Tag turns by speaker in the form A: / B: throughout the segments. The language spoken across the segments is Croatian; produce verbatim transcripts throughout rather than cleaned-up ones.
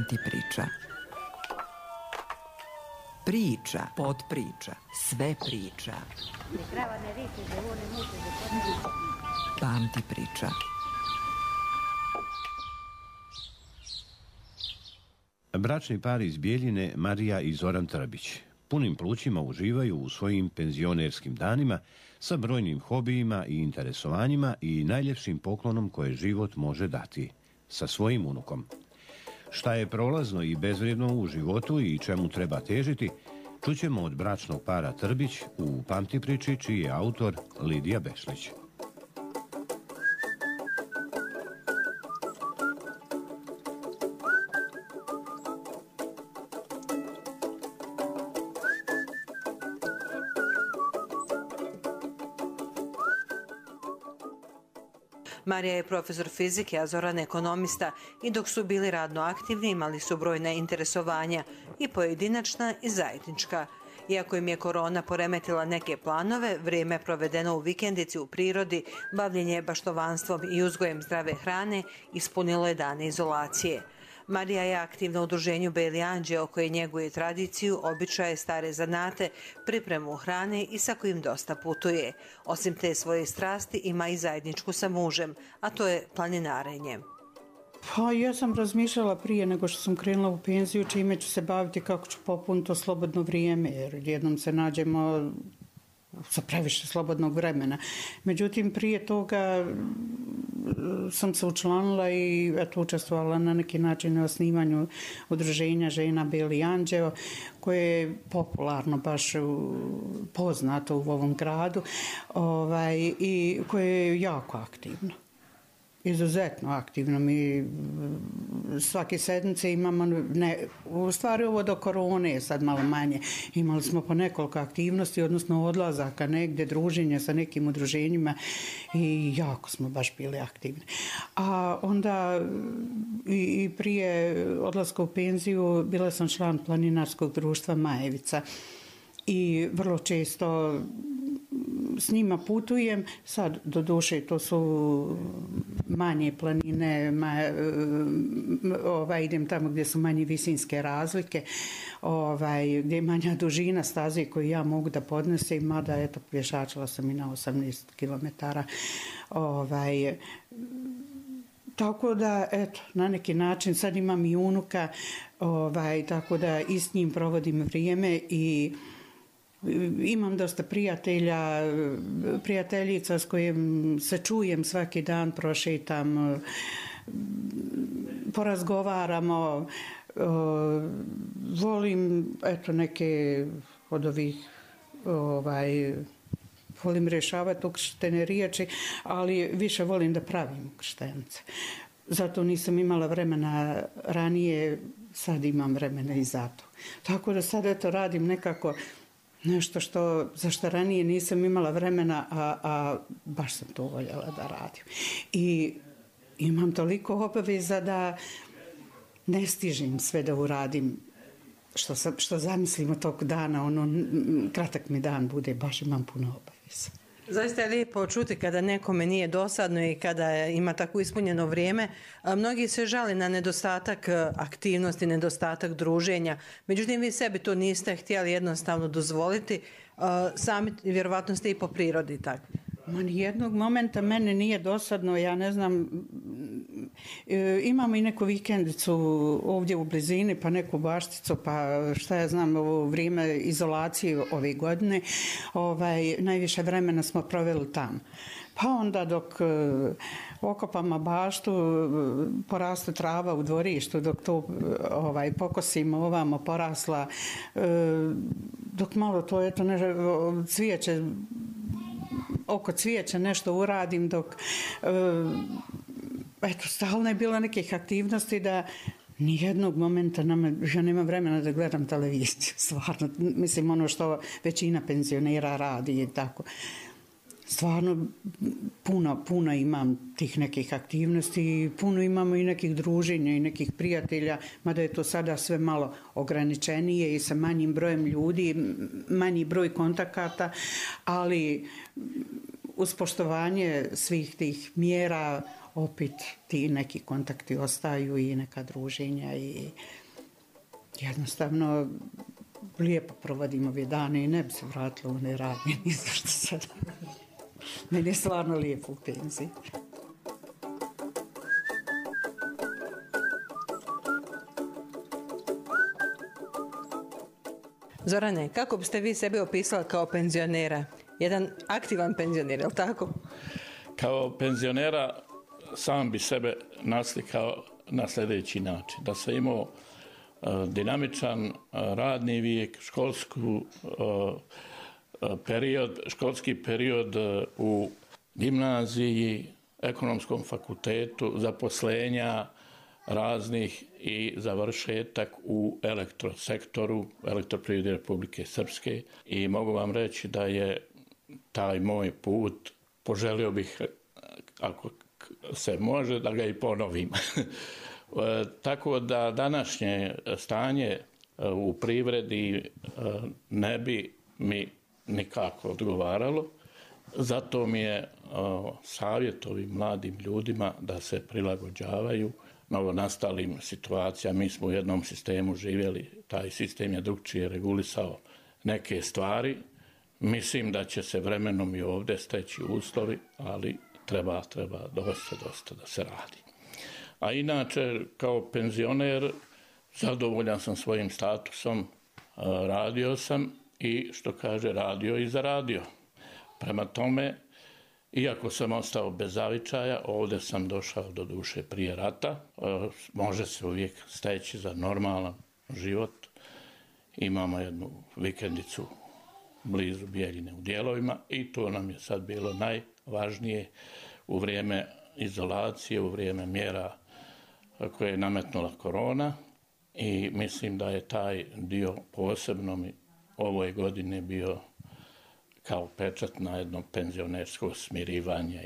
A: Pamti priča. Priča, potpriča, sve priča. Pamti priča.
B: Bračni par iz Bijeljine, Marija i Zoran Trbić, punim plućima uživaju u svojim penzionerskim danima sa brojnim hobijima i interesovanjima i najljepšim poklonom koje život može dati, sa svojim unukom. Šta je prolazno i bezvrijedno u životu i čemu treba težiti, čućemo od bračnog para Trbić u Pamti priči, čiji je autor Lidija Bešlić.
C: Marija je profesor fizike, a Zoran ekonomista i dok su bili radno aktivni imali su brojna interesovanja i pojedinačna i zajednička. Iako im je korona poremetila neke planove, vrijeme provedeno u vikendici u prirodi, bavljenje baštovanstvom i uzgojem zdrave hrane ispunilo je dane izolacije. Marija je aktivna u udruženju Beli anđeo koje njeguje tradiciju, običaje, stare zanate, pripremu hrane i sa kojim dosta putuje. Osim te svoje strasti ima i zajedničku sa mužem, a to je planinarenje.
D: Pa ja sam razmišljala prije nego što sam krenula u penziju čime ću se baviti, kako ću popuniti to slobodno vrijeme, jer jednom se nađemo sa previše slobodnog vremena. Međutim, prije toga sam se učlanila i eto, učestvovala na neki način na osnivanju udruženja žena Beli anđeo, koje je popularno, baš poznato u ovom gradu, ovaj, i koje je jako aktivno. Izuzetno aktivno. Mi svake sedmice imamo, ne, u stvari ovo do korone je sad malo manje, imali smo po nekoliko aktivnosti, odnosno odlazaka negdje, druženja sa nekim udruženjima i jako smo baš bili aktivni. A onda i, i prije odlaska u penziju bila sam član planinarskog društva Majevica i vrlo često s njima putujem. Sad, do duše, to su manje planine, ma, ovaj, idem tamo gdje su manje visinske razlike, ovaj, gdje je manja dužina staze koju ja mogu da podnesem, mada eto, pješačila sam i na osamnaest kilometara. Ovaj, tako da, eto, na neki način sad imam i unuka, ovaj, tako da i s njim provodim vrijeme i imam dosta prijatelja, prijateljica s kojim se čujem svaki dan, prošetam, porazgovaramo, volim eto neke od ovih ovaj, volim rješavati ukrštene riječi, ali više volim da pravim ukrštenice. Zato nisam imala vremena ranije, sad imam vremena i zato. Tako da sad eto radim nekako nešto što, za što ranije nisam imala vremena, a, a baš sam to voljela da radim. I imam toliko obaveza da ne stižem sve da uradim što, sam, što zamislim od tog dana, ono, kratak mi dan bude, baš imam puno obaveza.
C: Zaista je lijepo čuti kada nekome nije dosadno i kada ima tako ispunjeno vrijeme. Mnogi se žali na nedostatak aktivnosti, nedostatak druženja. Međutim, vi sebi to niste htjeli jednostavno dozvoliti. Sami vjerovatno ste i po prirodi takvi.
D: Ma nijednog momenta mene nije dosadno, ja ne znam, e, imamo i neku vikendicu ovdje u blizini, pa neku bašticu, pa šta ja znam, u vrijeme izolacije ove godine, ovaj, najviše vremena smo proveli tamo. Pa onda dok e, okopamo baštu, poraste trava u dvorištu, dok to ovaj, pokosimo ovamo, porasla, e, dok malo to eto, ne, cvijeće, oko cvijeća nešto uradim, dok e, eto, stalno je bilo nekih aktivnosti da nijednog momenta nama, ja nemam vremena da gledam televiziju, stvarno, mislim ono što većina penzionera radi i tako. Stvarno puno, puno imam tih nekih aktivnosti, puno imamo i nekih druženja i nekih prijatelja, mada je to sada sve malo ograničenije i sa manjim brojem ljudi, manji broj kontakata, ali uz poštovanje svih tih mjera opet ti neki kontakti ostaju i neka druženja i jednostavno lijepo provodimo ove dane i ne bi se vratila u ne radnje ni za što sad. Meni je stvarno lijepo u penziji.
C: Zorane, kako biste vi sebe opisali kao penzionera? Jedan aktivan penzioner, je li tako?
E: Kao penzionera sam bi sebe naslikao na sljedeći način. Da sam imao uh, dinamičan uh, radni vijek, školsku, uh, period, školski period uh, u gimnaziji, ekonomskom fakultetu, zaposlenja raznih i završetak u elektrosektoru, Elektroprivrede Republike Srpske. I mogu vam reći da je taj moj put, poželio bih, ako se može, da ga i ponovim. Tako da današnje stanje u privredi ne bi mi nikako odgovaralo. Zato mi je savjet ovim mladim ljudima da se prilagođavaju novonastalim situacijama. Mi smo u jednom sistemu živjeli, taj sistem je drugčije regulisao neke stvari. Mislim da će se vremenom i ovdje steći uslovi, ali treba, treba dosta, dosta da se radi. A inače, kao penzioner, zadovoljan sam svojim statusom, radio sam i, što kaže, radio i zaradio. Prema tome, iako sam ostao bez zavičaja, ovdje sam došao do duše prije rata. Može se uvijek steći za normalan život. Imamo jednu vikendicu blizu Bijeljine u Dijelovima i to nam je sad bilo najvažnije u vrijeme izolacije, u vrijeme mjera koje je nametnula korona i mislim da je taj dio posebno mi ovoj godine bio kao pečat na jedno penzionersko smirivanje.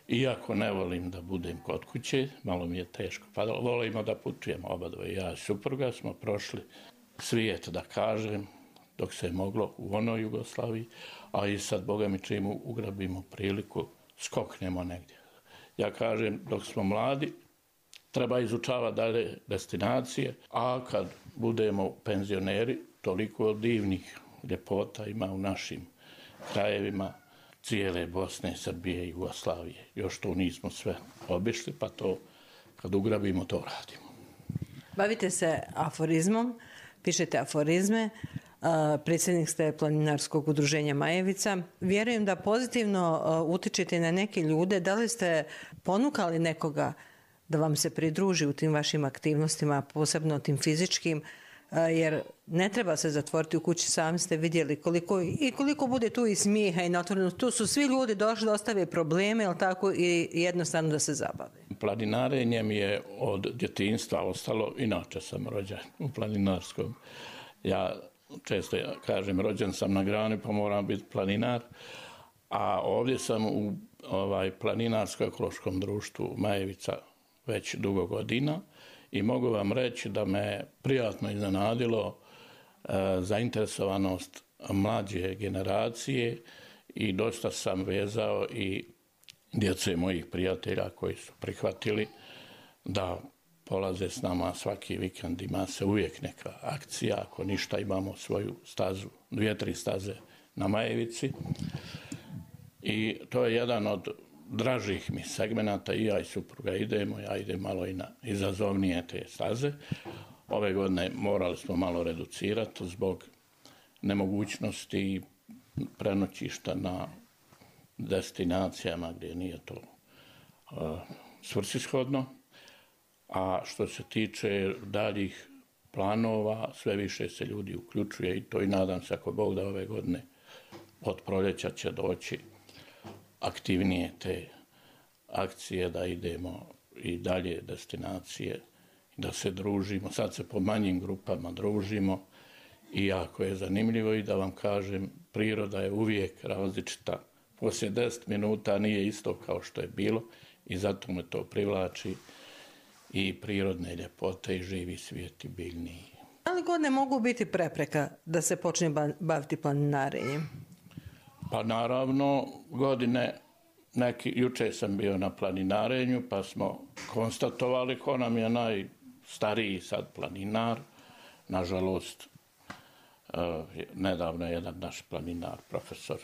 E: I, iako ne volim da budem kod kuće, malo mi je teško padalo, volimo da putujemo oba dvoje. Ja i supruga smo prošli svijet, da kažem, dok se je moglo u onoj Jugoslaviji, a i sad, Boga mi, čim ugrabimo priliku, skoknemo negdje. Ja kažem, dok smo mladi, treba izučavati dalje destinacije, a kad budemo penzioneri, toliko divnih ljepota ima u našim krajevima cijele Bosne, Srbije i Jugoslavije. Još to nismo sve obišli, pa to kad ugrabimo, to radimo.
C: Bavite se aforizmom, pišete aforizme, predsjednik ste Planinarskog udruženja Majevica. Vjerujem da pozitivno utičete na neke ljude. Da li ste ponukali nekoga da vam se pridruži u tim vašim aktivnostima, posebno tim fizičkim, jer ne treba se zatvoriti u kući, sami ste vidjeli koliko, i koliko bude tu i smijeha i natvoreno. Tu su svi ljudi došli da ostave probleme, ali tako, i jednostavno da se zabave.
E: Planinarenje mi je od djetinjstva ostalo, inače sam rođen u planinarskom. Ja često kažem, rođen sam na grani pa moram biti planinar, a ovdje sam u ovaj, Planinarsko-ekološkom društvu Majevica već dugo godina. I mogu vam reći da me prijatno iznenadilo e, zainteresovanost mlađe generacije i dosta sam vezao i djece mojih prijatelja koji su prihvatili da polaze s nama svaki vikend. Ima se uvijek neka akcija, ako ništa imamo svoju stazu, dvije, tri staze na Majevici. I to je jedan od dražih mi segmenata, i ja i supruga idemo, ja idem malo i na izazovnije te staze. Ove godine morali smo malo reducirati zbog nemogućnosti prenoćišta na destinacijama gdje nije to uh, svrsishodno. A što se tiče daljih planova, sve više se ljudi uključuje i to, i nadam se, ako Bog da, ove godine od proljeća će doći aktivnije te akcije, da idemo i dalje destinacije, da se družimo. Sad se po manjim grupama družimo i jako je zanimljivo, i da vam kažem, priroda je uvijek različita. Poslije deset minuta nije isto kao što je bilo i zato me to privlači, i prirodne ljepote i živi svijet i biljni.
C: Ali godine mogu biti prepreka da se počne baviti planinarenjem?
E: Pa naravno, godine neki, juče sam bio na planinarenju, pa smo konstatovali ko nam je najstariji sad planinar. Nažalost, nedavno je jedan naš planinar, profesor,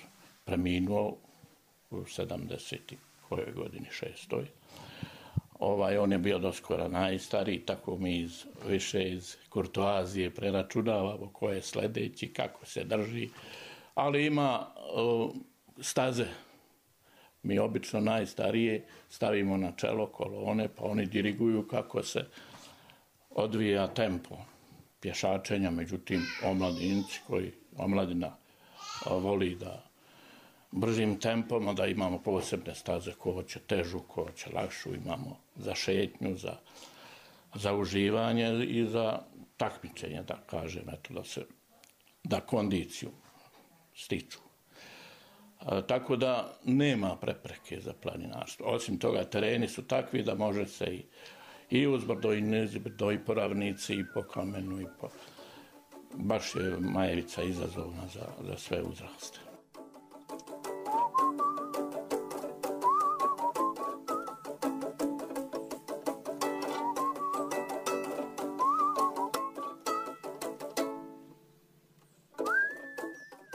E: preminuo u sedamdeset kojoj godini, šestoj. Ovaj, on je bio doskora najstariji, tako mi iz, više iz kurtoazije preračunavamo ko je sledeći, kako se drži. Ali ima uh, staze. Mi obično najstarije stavimo na čelo kolone, pa oni diriguju kako se odvija tempo pješačenja. Međutim, omladinci koji, omladina voli da bržim tempom, da imamo posebne staze, ko hoće težu, ko hoće lakšu, imamo za šetnju, za, za uživanje i za takmičenje, da kažem, eto, da se, da kondiciju stiču. A, tako da nema prepreke za planinarstvo. Osim toga, tereni su takvi da može se i, i uzbrdo i nizbrdo i po ravnici i po kamenu i po... Baš je Majevica izazovna za, za sve uzraste.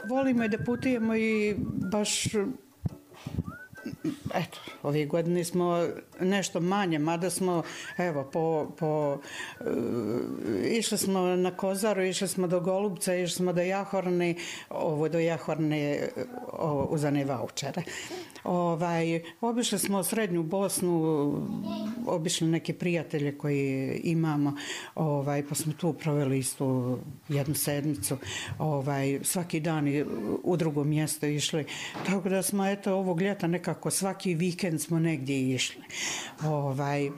D: Volimo i da putujemo i baš, eto, ove godine smo nešto manje, mada smo, evo, po, po, uh, išli smo na Kozaru, išli smo do Golubca, išli smo do Jahorne, ovo do Jahorne ovo, uz one vaučere. Ovaj, obišli smo Srednju Bosnu, obišli neke prijatelje koji imamo, ovaj, pa smo tu proveli istu jednu sedmicu, ovaj, svaki dan u drugo mjesto išli. Tako da smo, eto, ovog ljeta nekako svaki vikend smo negdje išli. Ovaj,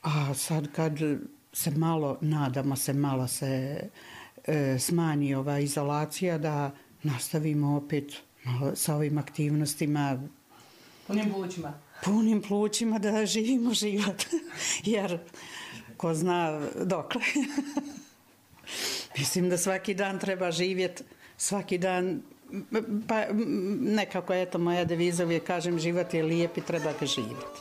D: a sad kad se malo, nadamo se, malo se e, smanji ova izolacija, da nastavimo opet malo sa ovim aktivnostima.
C: Punim plućima.
D: Punim plućima da živimo život. Jer ko zna dokle. Mislim da svaki dan treba živjeti, svaki dan, pa nekako, eto, moja deviza uvijek kažem, život je lijep i treba ga živjeti.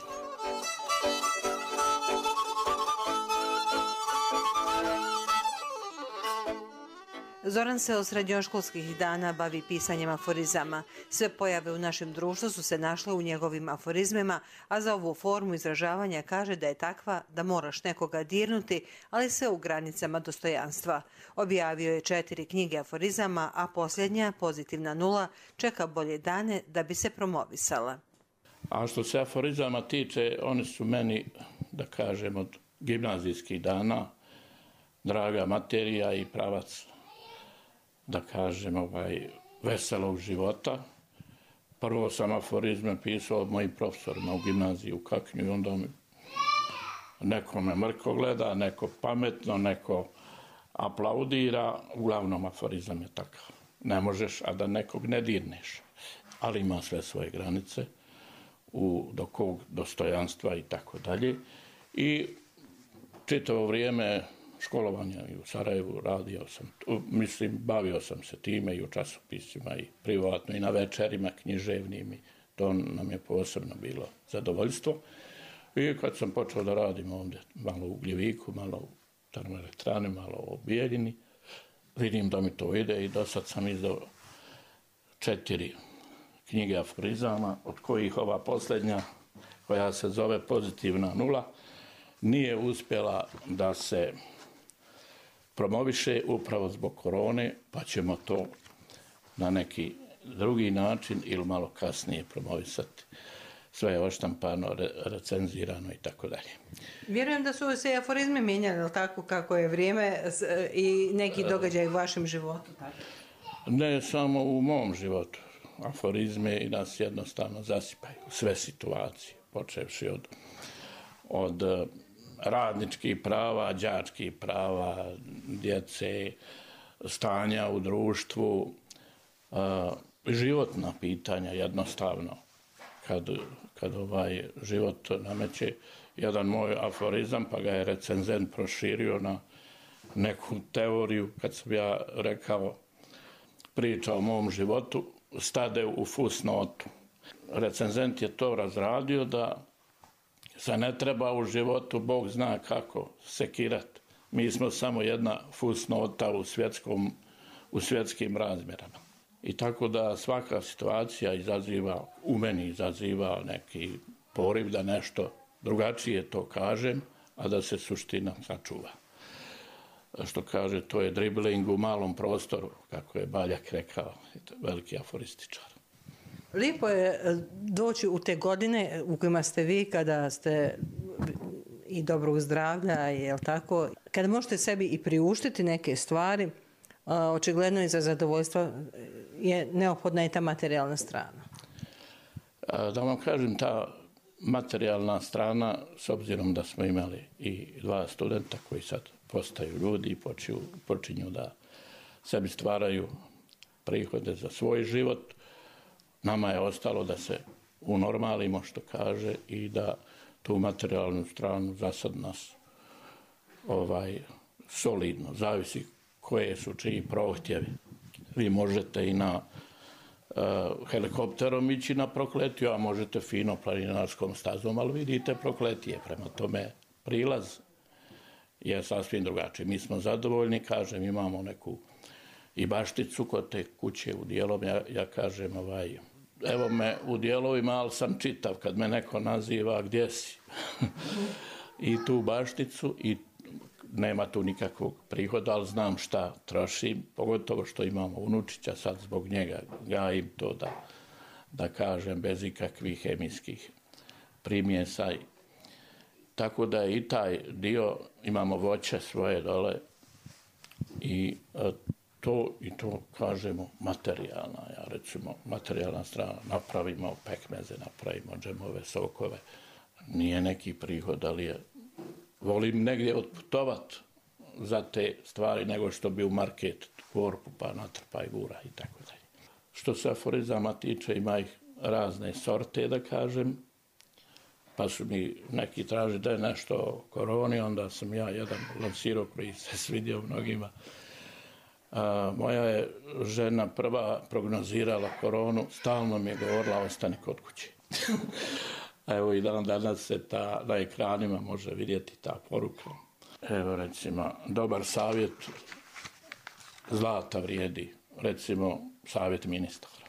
C: Zoran se od srednjoškolskih dana bavi pisanjem aforizama. Sve pojave u našem društvu su se našle u njegovim aforizmima, a za ovu formu izražavanja kaže da je takva da moraš nekoga dirnuti, ali sve u granicama dostojanstva. Objavio je četiri knjige aforizama, a posljednja, Pozitivna nula, čeka bolje dane da bi se promovisala.
E: A što se aforizama tiče, oni su meni, da kažem, od gimnazijskih dana draga materija i pravac, da kažem, ovaj, veselog života. Prvo sam aforizme pisao od mojih profesorima u gimnaziji u Kaknju i onda mi neko me mrko gleda, neko pametno, neko aplaudira. Uglavnom aforizam je takav. Ne možeš, a da nekog ne dirneš. Ali ima sve svoje granice u, do kog dostojanstva i tako dalje. I čitavo vrijeme školovanja i u Sarajevu radio sam, mislim, bavio sam se time i u časopisima i privatno i na večerima književnim i to nam je posebno bilo zadovoljstvo. I kad sam počeo da radim ovdje, malo u Gljeviku, malo u termoelektrani, malo u Bijeljini, vidim da mi to ide i do sad sam izdao četiri knjige aforizama, od kojih ova posljednja, koja se zove Pozitivna nula, nije uspjela da se promoviše upravo zbog korone, pa ćemo to na neki drugi način ili malo kasnije promovisati. Sve je oštampano, re, recenzirano i tako dalje.
C: Vjerujem da su se aforizmi mijenjali, tako kako je vrijeme i neki događaj u vašem životu. Tako?
E: Ne samo u mom životu. Aforizme nas jednostavno zasipaju. Sve situacije, počevši od, od radničkih prava, đačkih prava, djece, stanja u društvu, životna pitanja jednostavno. Kad, kad ovaj život nameće jedan moj aforizam, pa ga je recenzent proširio na neku teoriju, kad sam ja rekao priča o mom životu, stade u fusnotu. Recenzent je to razradio da se ne treba u životu, Bog zna kako, sekirati. Mi smo samo jedna fusnota u, svjetskom, u svjetskim razmjerama. I tako da svaka situacija izaziva, u meni izaziva neki poriv da nešto drugačije to kažem, a da se suština sačuva. Što kaže, to je dribling u malom prostoru, kako je Baljak rekao, veliki aforističar.
C: Lijepo je doći u te godine u kojima ste vi, kada ste i dobrog zdravlja, je li tako? Kada možete sebi i priuštiti neke stvari, očigledno i za zadovoljstvo je neophodna i ta materijalna strana.
E: Da vam kažem, ta materijalna strana, s obzirom da smo imali i dva studenta koji sad postaju ljudi i počinju, počinju da sebi stvaraju prihode za svoj život, nama je ostalo da se unormalimo, što kaže, i da tu materijalnu stranu za sad nas ovaj, solidno, zavisi koje su čiji prohtjevi. Vi možete i na uh, helikopterom ići na Prokletiju, a možete fino planinarskom stazom, ali vidite Prokletije. Prema tome prilaz je sasvim drugačiji. Mi smo zadovoljni, kažem, imamo neku i bašticu kod te kuće u dijelom. Ja, ja kažem, ovaj, evo me u dijelovima, ali sam čitav kad me neko naziva gdje si. I tu bašticu i nema tu nikakvog prihoda, ali znam šta trošim, pogotovo što imamo unučića, sad zbog njega gajim to da, da kažem, bez ikakvih hemijskih primjesa. Tako da i taj dio, imamo voće svoje dole i to, i to kažemo materijalna, ja recimo materijalna strana, napravimo pekmeze, napravimo džemove, sokove, nije neki prihod, ali je, volim negdje otputovat za te stvari nego što bi u market korpu pa natrpaj gura i tako dalje. Što se aforizama tiče, ima ih razne sorte, da kažem, pa su mi neki traži da je nešto o koroni, onda sam ja jedan lansirao koji se svidio mnogima. A, moja je žena prva prognozirala koronu, stalno mi je govorila ostani kod kuće. Evo i dan danas se ta, na ekranima može vidjeti ta poruka. Evo recimo, dobar savjet, zlata vrijedi, recimo savjet ministara.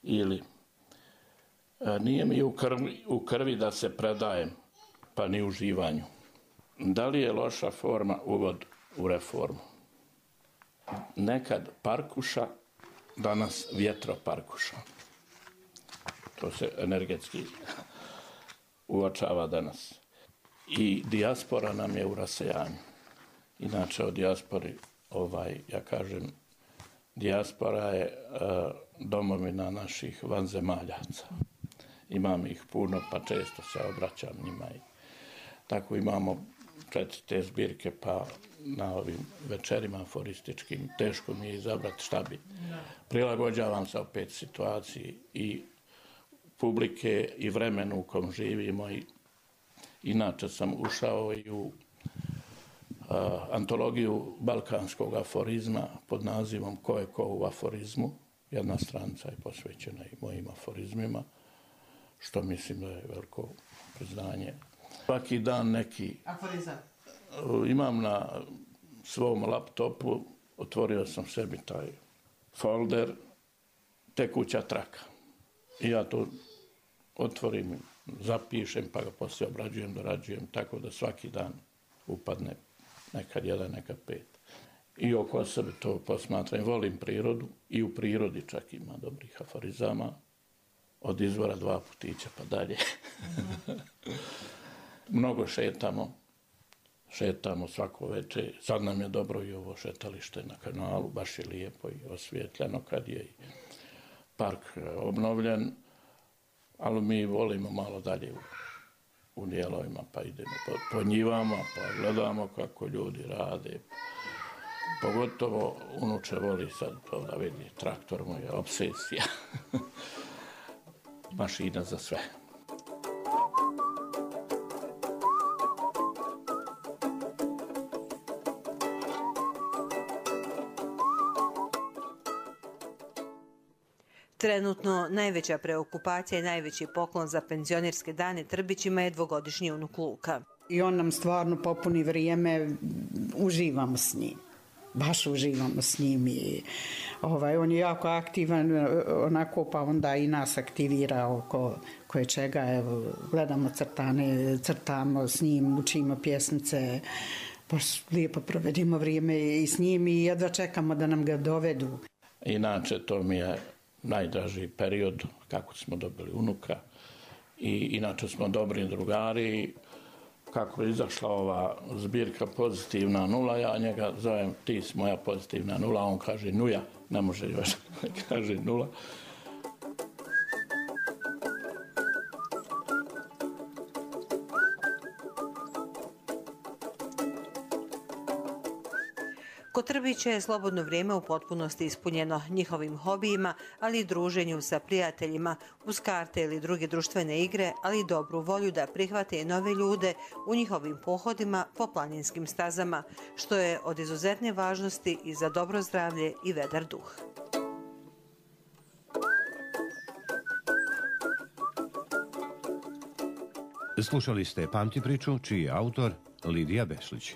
E: Ili, nije mi u krvi, u krvi da se predajem, pa ni u živanju. Da li je loša forma uvod u reformu? Nekad parkuša, danas vjetroparkuša. To se energetski uočava danas. I dijaspora nam je u rasejanju. Inače o dijaspori, ovaj, ja kažem, dijaspora je uh, domovina naših vanzemaljaca. Imam ih puno, pa često se obraćam njima. I tako imamo četiri te zbirke, pa na ovim večerima aforističkim teško mi je izabrati šta bi. Prilagođavam se opet situaciji i publike i vremenu u kom živimo. I inače sam ušao i u a, antologiju balkanskog aforizma pod nazivom Ko je ko u aforizmu. Jedna stranica je posvećena i mojim aforizmima, što mislim da je veliko priznanje. Svaki dan neki
C: aforizam
E: imam na svom laptopu, otvorio sam sebi taj folder, tekuća traka. I ja to otvorim, zapišem, pa ga poslije obrađujem, dorađujem, tako da svaki dan upadne nekad jedan, nekad pet. I oko sebe to posmatram. Volim prirodu i u prirodi čak ima dobrih aforizama. Od izvora dva putića pa dalje. Mnogo šetamo. Šetamo svako večer. Sad nam je dobro i ovo šetalište na kanalu. Baš je lijepo i osvjetljeno kad je park obnovljen. Ali mi volimo malo dalje u, u dijelovima, pa idemo po, po njivama, pa gledamo kako ljudi rade. Pogotovo unuče voli sad to da vidi, traktor mu je obsesija. Mašina za sve.
C: Trenutno najveća preokupacija i najveći poklon za penzionerske dane Trbićima je dvogodišnji unuk Luka.
D: I on nam stvarno popuni vrijeme, uživamo s njim. Baš uživamo s njim i ovaj, on je jako aktivan, onako pa onda i nas aktivira oko koje čega, evo, gledamo crtane, crtamo s njim, učimo pjesmice, baš lijepo provedimo vrijeme i s njim i jedva čekamo da nam ga dovedu.
E: Inače, to mi je najdraži period kako smo dobili unuka i inače smo dobri drugari. Kako je izašla ova zbirka Pozitivna nula, ja njega zovem ti si moja pozitivna nula, on kaže nuja, ne može još, kaže nula.
C: Kod Trbića je slobodno vrijeme u potpunosti ispunjeno njihovim hobijima, ali i druženju sa prijateljima, uz karte ili druge društvene igre, ali i dobru volju da prihvate i nove ljude u njihovim pohodima po planinskim stazama, što je od izuzetne važnosti i za dobro zdravlje i vedar duh.
B: Slušali ste Pamti priču, čiji je autor Lidija Bešlić.